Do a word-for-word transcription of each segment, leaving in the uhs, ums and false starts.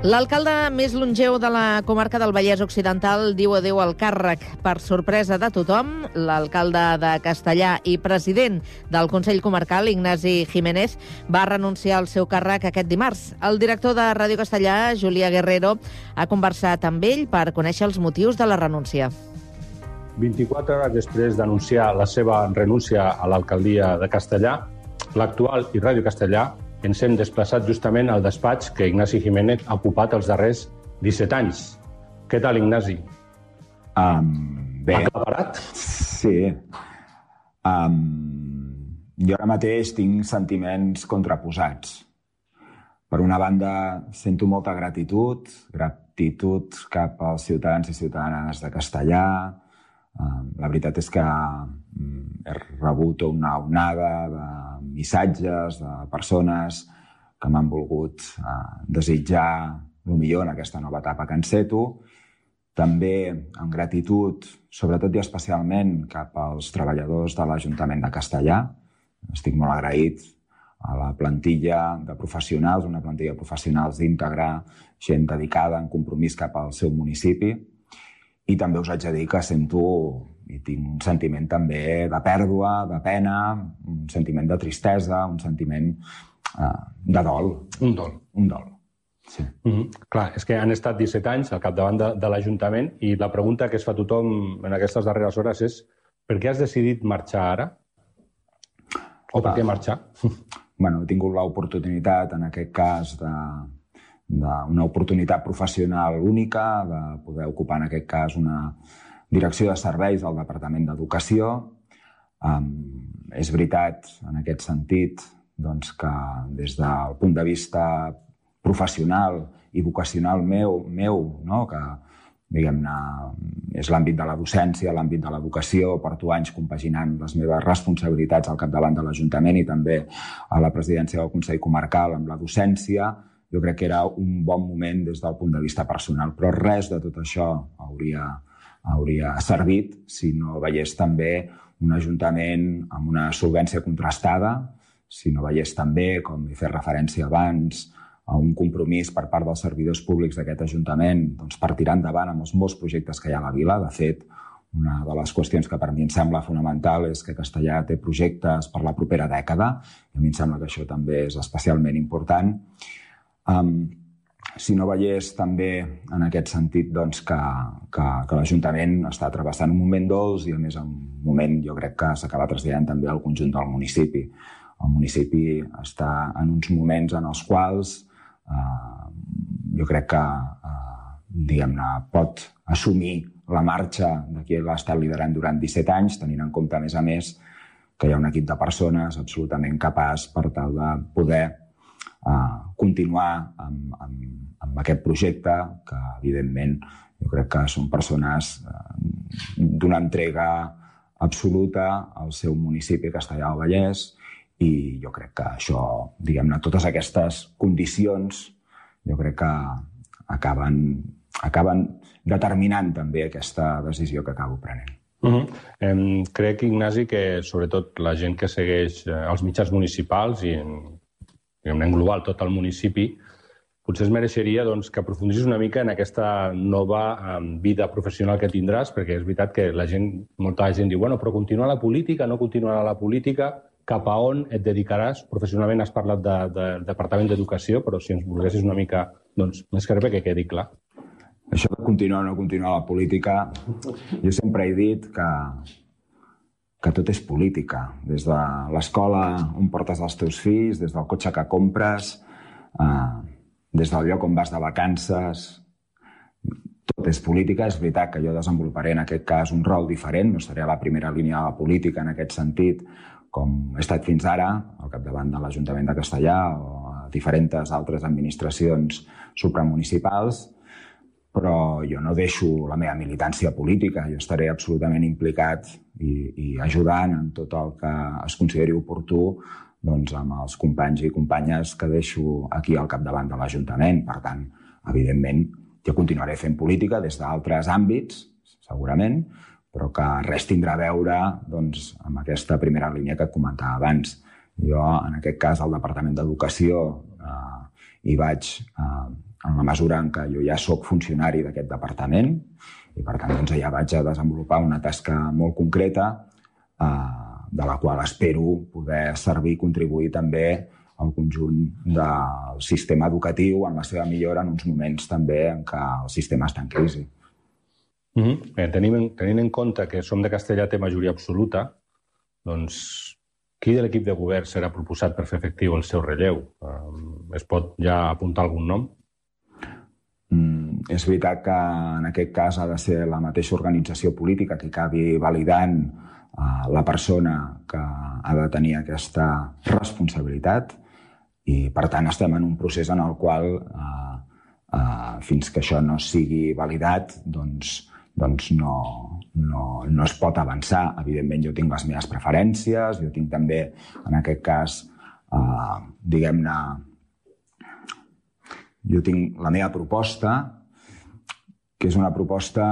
L'alcalde més longeu de la comarca del Vallès Occidental diu adéu al càrrec. Per sorpresa de tothom, l'alcalde de Castellar i president del Consell Comarcal, Ignasi Jiménez, va renunciar al seu càrrec aquest dimarts. El director de Ràdio Castellar, Julià Guerrero, ha conversat amb ell per conèixer els motius de la renúncia. vint-i-quatre hores després d'anunciar la seva renúncia a l'alcaldia de Castellar, l'actual i Ràdio Castellar ens hem desplaçat justament al despatx que Ignasi Jiménez ha ocupat els darrers disset anys. Què tal, Ignasi? Um, bé. Aclaparat? Sí. Um, jo ara mateix tinc sentiments contraposats. Per una banda, sento molta gratitud, gratitud cap als ciutadans i ciutadanes de Castellar. Um, la veritat és que um, he rebut una onada de missatges de persones que m'han volgut uh, desitjar el millor en aquesta nova etapa que enceto. També amb gratitud, sobretot i especialment cap als treballadors de l'Ajuntament de Castellar. Estic molt agraït a la plantilla de professionals, una plantilla de professionals íntegra, gent dedicada en compromís cap al seu municipi. I també us haig de dir que sento i tinc un sentiment també de pèrdua, de pena, un sentiment de tristesa, un sentiment uh, de dol. Un dol. Un dol, sí. Mm-hmm. Clar, és que han estat disset anys al capdavant de, de l'Ajuntament i la pregunta que es fa tothom en aquestes darreres hores és per què has decidit marxar ara? O per què marxar? Bueno, he tingut l'oportunitat, en aquest cas, de... d'una oportunitat professional única, de poder ocupar en aquest cas una direcció de serveis del Departament d'Educació. Um, és veritat, en aquest sentit, doncs, que des del punt de vista professional i vocacional meu, meu no? que diguem-ne, és l'àmbit de la docència, l'àmbit de l'educació, porto anys compaginant les meves responsabilitats al capdavant de l'Ajuntament i també a la presidència del Consell Comarcal amb la docència. Jo crec que era un bon moment des del punt de vista personal, però res de tot això hauria, hauria servit si no veiés també un ajuntament amb una solvència contrastada, si no veiés també, com he fet referència abans, a un compromís per part dels servidors públics d'aquest ajuntament doncs, per tirar endavant amb els molts projectes que hi ha a la vila. De fet, una de les qüestions que per mi em sembla fonamental és que Castellar té projectes per la propera dècada, i a mi em sembla que això també és especialment important. Um, si no veiés també en aquest sentit doncs, que, que, que l'Ajuntament està travessant un moment dolç i a més un moment jo crec que s'acaba traslladant també al conjunt del municipi. El municipi està en uns moments en els quals uh, jo crec que uh, diguem-ne, pot assumir la marxa de qui l'ha estat liderant durant disset anys, tenint en compte a més a més que hi ha un equip de persones absolutament capaç per tal de poder Uh, continuar amb, amb, amb aquest projecte que, evidentment, jo crec que són persones uh, d'una entrega absoluta al seu municipi Castellar del Vallès i jo crec que això, diguem-ne, totes aquestes condicions jo crec que acaben, acaben determinant també aquesta decisió que acabo prenent. Uh-huh. em, crec, Ignasi, que sobretot la gent que segueix eh, els mitjans municipals i en en global tot el municipi, potser es mereixeria doncs, que aprofundissis una mica en aquesta nova um, vida professional que tindràs, perquè és veritat que la gent, molta gent diu, bueno, però continuar la política, no continuarà la política, cap a on et dedicaràs? Professionalment has parlat de, de, del Departament d'Educació, però si ens volguessis una mica doncs, més que res que quedi clar. Això de continuar o no continuar la política, jo sempre he dit que que tot és política, des de l'escola on portes els teus fills, des del cotxe que compres, eh, des del lloc on vas de vacances, tot és política. És veritat que jo desenvoluparé en aquest cas un rol diferent, no estaré a la primera línia de la política en aquest sentit, com he estat fins ara, al capdavant de l'Ajuntament de Castellar o a diferents altres administracions supramunicipals, però jo no deixo la meva militància política, jo estaré absolutament implicat i, i ajudant en tot el que es consideri oportú doncs, amb els companys i companyes que deixo aquí al capdavant de l'Ajuntament. Per tant, evidentment, jo continuaré fent política des d'altres àmbits, segurament, però que res tindrà a veure doncs, amb aquesta primera línia que et comentava abans. Jo, en aquest cas, al Departament d'Educació, eh, hi vaig eh, en la mesura en què jo ja sóc funcionari d'aquest departament i, per tant, doncs, ja vaig a desenvolupar una tasca molt concreta eh, de la qual espero poder servir i contribuir també al conjunt del sistema educatiu en la seva millora en uns moments també en què el sistema està en crisi. Mm-hmm. Bé, tenim, tenint en compte que Som de Castellà té majoria absoluta, doncs qui de l'equip de govern serà proposat per fer efectiu el seu relleu? Um, es pot ja apuntar algun nom? Mm, és veritat que en aquest cas ha de ser la mateixa organització política que acabi validant uh, la persona que ha de tenir aquesta responsabilitat i, per tant, estem en un procés en el qual uh, uh, fins que això no sigui validat, doncs, doncs no, no, no es pot avançar. Evidentment, jo tinc les meves preferències, jo tinc també, en aquest cas, uh, diguem-ne, jo tinc la meva proposta, que és una proposta,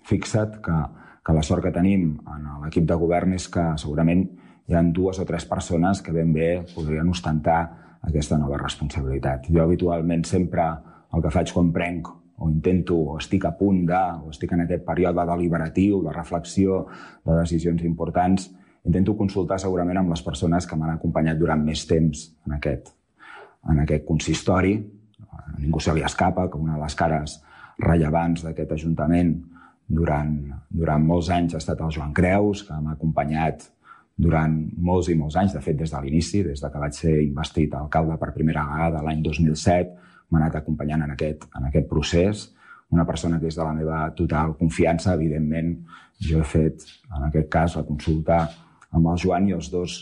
fixa't, que, que la sort que tenim en l'equip de govern és que segurament hi ha dues o tres persones que ben bé podrien ostentar aquesta nova responsabilitat. Jo habitualment sempre el que faig quan prenc o intento o estic a punt de, o estic en aquest període deliberatiu, de reflexió, de decisions importants, intento consultar segurament amb les persones que m'han acompanyat durant més temps en aquest, en aquest consistori. A ningú se li escapa que una de les cares rellevants d'aquest Ajuntament durant, durant molts anys ha estat el Joan Creus, que m'ha acompanyat durant molts i molts anys, de fet des de l'inici, des que vaig ser investit alcalde per primera vegada l'any dos mil set, m'ha anat acompanyant en aquest, en aquest procés. Una persona que és de la meva total confiança, evidentment, jo he fet, en aquest cas, la consulta amb el Joan i els dos,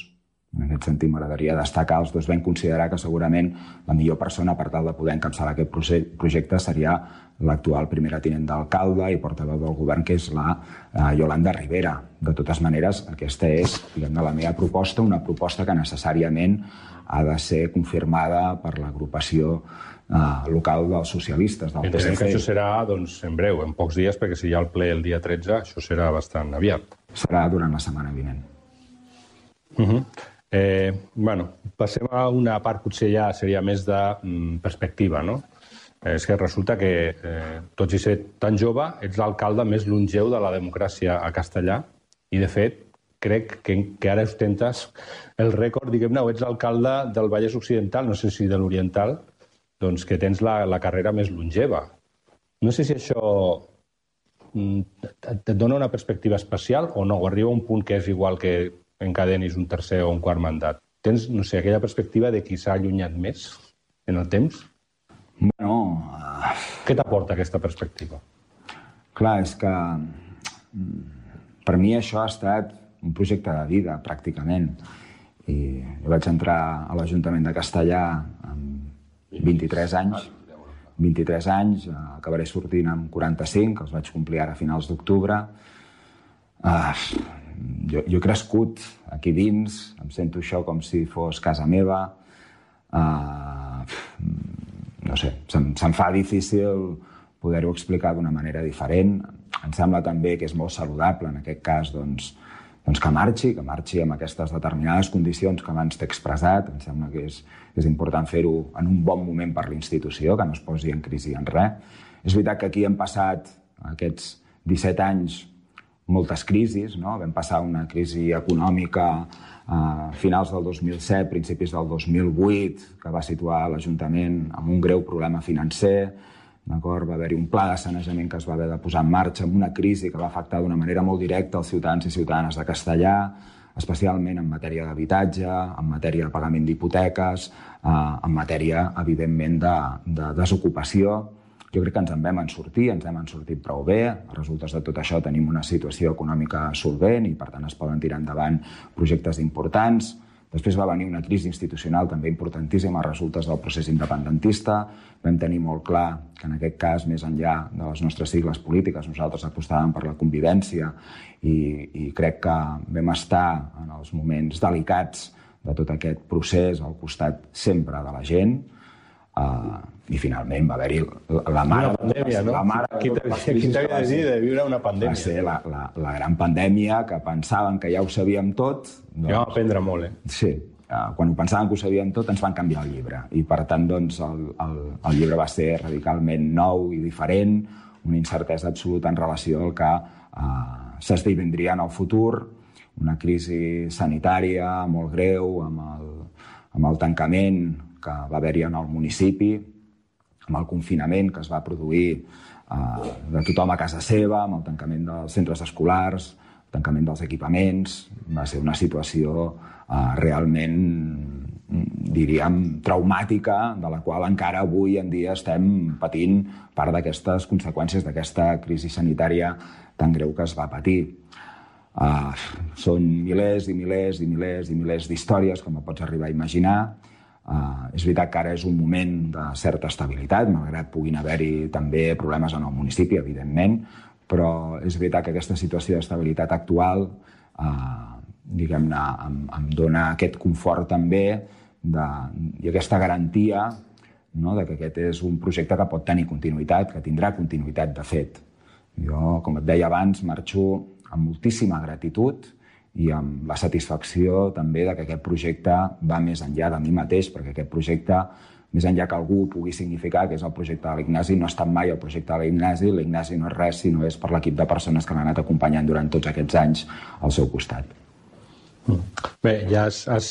en aquest sentit m'agradaria destacar, els dos vam considerar que segurament la millor persona per tal de poder encapçalar aquest projecte seria l'actual primera tinent d'alcalde i portaveu del govern, que és la eh, Yolanda Rivera. De totes maneres, aquesta és, diguem-ne, la meva proposta, una proposta que necessàriament ha de ser confirmada per l'agrupació eh, local dels socialistes, del P S C. Entenem que això serà, doncs, en breu, en pocs dies, perquè si hi ha el ple el dia tretze, això serà bastant aviat. Serà durant la setmana vinent. Uh-huh. Eh, bueno, passem a una part potser ja seria més de mm, perspectiva, no? Eh, és que resulta que, eh, tot i ser tan jove, ets l'alcalde més longeu de la democràcia a Castellà i, de fet, crec que, que ara ostentes el rècord, diguem-ne, o ets l'alcalde del Vallès Occidental, no sé si de l'Oriental, doncs que tens la, la carrera més longeva. No sé si això mm, et dona una perspectiva especial o no, o arriba a un punt que és igual que encadenis un tercer o un quart mandat. Tens, no sé, aquella perspectiva de qui s'ha allunyat més en el temps? Bueno... Uh... Què t'aporta aquesta perspectiva? Clar, és que per mi això ha estat un projecte de vida, pràcticament. I jo vaig entrar a l'Ajuntament de Castellà amb vint-i-tres anys. vint-i-tres anys, acabaré sortint amb quaranta-cinc, els vaig complir ara a finals d'octubre. Uh, jo, jo he crescut aquí dins, em sento això com si fos casa meva. Uh, no sé, se'm, se'm fa difícil poder-ho explicar d'una manera diferent. Em sembla també que és molt saludable, en aquest cas, doncs, doncs que marxi, que marxi amb aquestes determinades condicions que abans t'he expressat. Em sembla que és, és important fer-ho en un bon moment per l'institució, que no es posi en crisi en res. És veritat que aquí hem passat aquests disset anys moltes crisis, no? Vam passar una crisi econòmica a finals del dos mil set, principis del dos mil vuit, que va situar l'Ajuntament amb un greu problema financer. Va haver-hi un pla de sanejament que es va haver de posar en marxa amb una crisi que va afectar d'una manera molt directa els ciutadans i ciutadanes de Castellà, especialment en matèria d'habitatge, en matèria de pagament d'hipoteques, en matèria, evidentment, de, de desocupació. Jo crec que ens en vam en sortir, ens hem en sortit prou bé. A resultes de tot això tenim una situació econòmica solvent i, per tant, es poden tirar endavant projectes importants. Després va venir una crisi institucional també importantíssima a resultes del procés independentista. Vam tenir molt clar que en aquest cas, més enllà de les nostres sigles polítiques, nosaltres apostàvem per la convivència i, i crec que vam estar en els moments delicats de tot aquest procés al costat sempre de la gent. Uh, I finalment va haver-hi la, la mare... Una pandèmia, no? La mare Qui t'havia de dir de viure una pandèmia? Va ser la, la, la gran pandèmia que pensaven que ja ho sabíem tot. Doncs... Ja vam aprendre molt, eh? Sí, quan ho pensàvem que ho sabíem tot, ens van canviar el llibre. I, per tant, doncs, el, el, el llibre va ser radicalment nou i diferent, una incertesa absoluta en relació al que eh, s'esdevindria en el futur, una crisi sanitària molt greu, amb el, amb el tancament que va haver-hi en el municipi, amb el confinament que es va produir eh, de tothom a casa seva, amb el tancament dels centres escolars, el tancament dels equipaments. Va ser una situació eh, realment, diríem, traumàtica, de la qual encara avui en dia estem patint part d'aquestes conseqüències d'aquesta crisi sanitària tan greu que es va patir. Uh, són milers i milers i milers i milers d'històries, com pots arribar a imaginar. Uh, és veritat que ara és un moment de certa estabilitat, malgrat puguin haver-hi també problemes en el municipi, evidentment, però és veritat que aquesta situació d'estabilitat actual uh, diguem-ne, em, em dona aquest confort també de, i aquesta garantia, no?, de que aquest és un projecte que pot tenir continuïtat, que tindrà continuïtat de fet. Jo, com et deia abans, marxo amb moltíssima gratitud i amb la satisfacció també de que aquest projecte va més enllà de mi mateix, perquè aquest projecte, més enllà que algú pugui significar que és el projecte de l'Ignasi, no ha estat mai el projecte de l'Ignasi. L'Ignasi no és res, sinó és per l'equip de persones que l'han anat acompanyant durant tots aquests anys al seu costat. Bé, ja has, has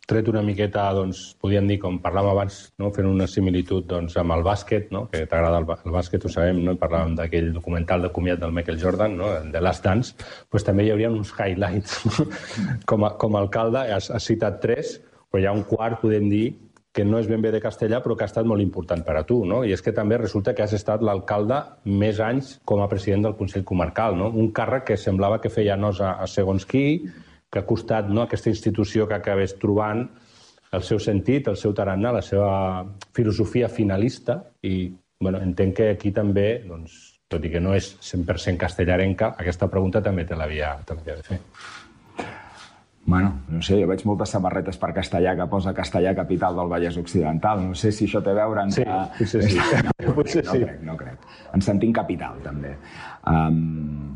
tret una miqueta, doncs, podríem dir, com parlàvem abans, no? Fent una similitud doncs, amb el bàsquet, no? Que t'agrada el, el bàsquet, ho sabem, no? Parlàvem d'aquell documental de comiat del Michael Jordan, no? De Last Dance, pues també hi hauria uns highlights. com, a, com a alcalde, has, has citat tres, però hi ha un quart, podem dir, que no és ben bé de Castellà, però que ha estat molt important per a tu, no? I és que també resulta que has estat l'alcalde més anys com a president del Consell Comarcal, no? Un càrrec que semblava que feia nosa a segons qui, que ha costat, no?, aquesta institució que acabés trobant el seu sentit, el seu tarannà, la seva filosofia finalista, i bueno, entenc que aquí també, doncs, tot i que no és cent per cent castellarenca, aquesta pregunta també te l'havia de fer. Bueno, no sé, jo veig moltes samarretes per Castellà que posa Castellà capital del Vallès Occidental. No sé si això té a veure amb... Sí, que... potser sí. No, potser no, sí. No crec, no crec. Ens sentim capital, també. Um,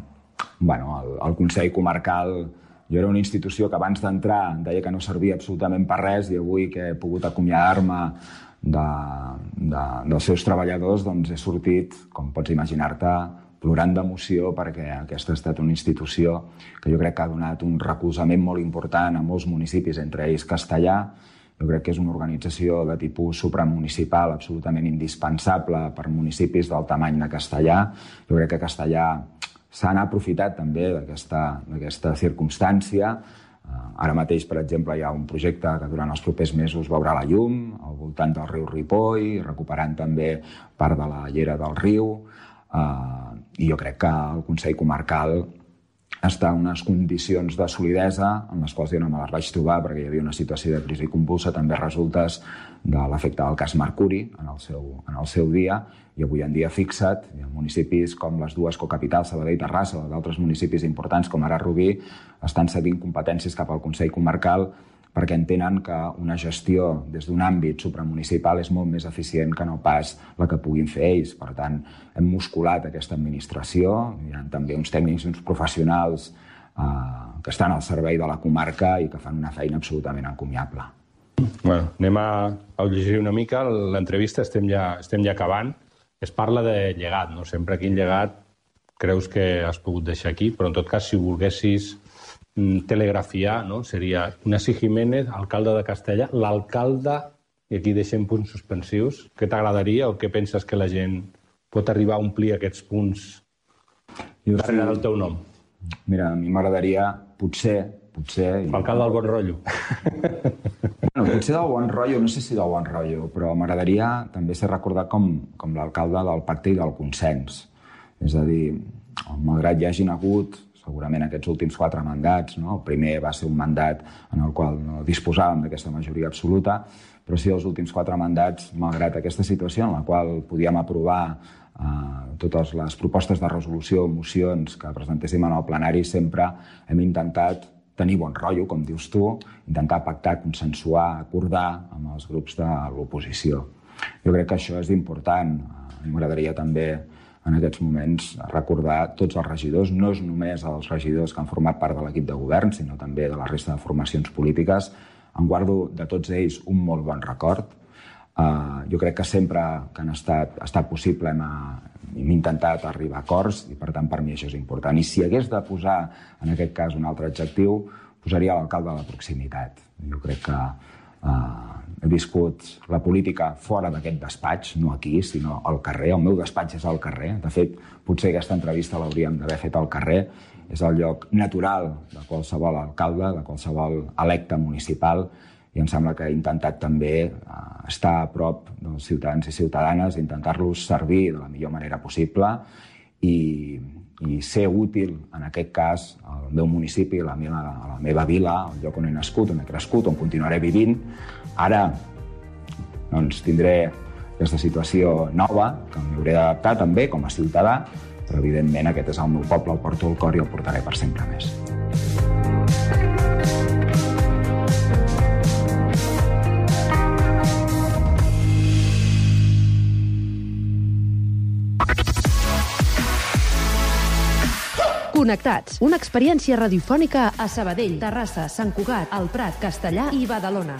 bueno, el, el Consell Comarcal... Jo era una institució que abans d'entrar deia que no servia absolutament per res, i avui que he pogut acomiadar-me de, de, dels seus treballadors, doncs he sortit, com pots imaginar-te, plorant d'emoció, perquè aquesta ha estat una institució que jo crec que ha donat un recolzament molt important a molts municipis, entre ells Castellà. Jo crec que és una organització de tipus supramunicipal absolutament indispensable per municipis del tamany de Castellà. Jo crec que Castellà s'han aprofitat també d'aquesta circumstància. Ara mateix, per exemple, hi ha un projecte que durant els propers mesos veurà la llum al voltant del riu Ripoll, recuperant també part de la llera del riu. I jo crec que el Consell Comarcal està en unes condicions de solidesa en les quals jo no me les vaig trobar, perquè hi havia una situació de crisi convulsa, també resultes de l'efecte del cas Mercuri en el seu, en el seu dia, i avui en dia fixa't, hi ha municipis com les dues cocapitals, Sabadell i Terrassa, o d'altres municipis importants com ara Rubí, estan cedint competències cap al Consell Comarcal perquè entenen que una gestió des d'un àmbit supramunicipal és molt més eficient que no pas la que puguin fer ells. Per tant, hem musculat aquesta administració, hi ha també uns tècnics i uns professionals eh, que estan al servei de la comarca i que fan una feina absolutament encomiable. Bueno, anem a, a llegir una mica l'entrevista, estem, ja, estem ja acabant. Es parla de llegat, no? Sempre quin llegat creus que has pogut deixar aquí, però en tot cas, si volguessis telegrafiar, no? Seria Ignasi Jiménez, alcalde de Castellà, l'alcalde, i aquí deixem punts suspensius, què t'agradaria o què penses que la gent pot arribar a omplir aquests punts darrere del teu nom? Mira, a mi m'agradaria, potser, potser... L'alcalde del bon rotllo. Bueno, potser del bon rotllo, no sé si del bon rotllo, però m'agradaria també ser recordat com, com l'alcalde del pacte i del consens. És a dir, malgrat hi hagin hagut segurament aquests últims quatre mandats, no? El primer va ser un mandat en el qual no disposàvem d'aquesta majoria absoluta, però sí els últims quatre mandats, malgrat aquesta situació en la qual podíem aprovar eh, totes les propostes de resolució, mocions que presentéssim en el plenari, sempre hem intentat tenir bon rotllo, com dius tu, intentar pactar, consensuar, acordar amb els grups de l'oposició. Jo crec que això és important. M'agradaria també en aquests moments recordar tots els regidors, no és només els regidors que han format part de l'equip de govern, sinó també de la resta de formacions polítiques, en guardo de tots ells un molt bon record. Uh, jo crec que sempre que han estat, ha estat possible hem, hem intentat arribar a acords i per tant per mi això és important. I si hagués de posar en aquest cas un altre adjectiu, posaria l'alcalde de la proximitat. Jo crec que uh, he viscut la política fora d'aquest despatx, no aquí, sinó al carrer. El meu despatx és al carrer. De fet, potser aquesta entrevista l'hauríem d'haver fet al carrer. És el lloc natural de qualsevol alcalde, de qualsevol electe municipal, i em sembla que he intentat també estar a prop dels ciutadans i ciutadanes, intentar-los servir de la millor manera possible i, i ser útil, en aquest cas, al meu municipi, a la meva, a la meva vila, al lloc on he nascut, on he crescut, on continuaré vivint. Ara doncs, tindré aquesta situació nova, que m'hauré d'adaptar també com a ciutadà, però evidentment aquest és el meu poble, el porto al cor i el portaré per sempre més. Connectats, una experiència radiofònica a Sabadell, Terrassa, Sant Cugat, El Prat, Castellar i Badalona.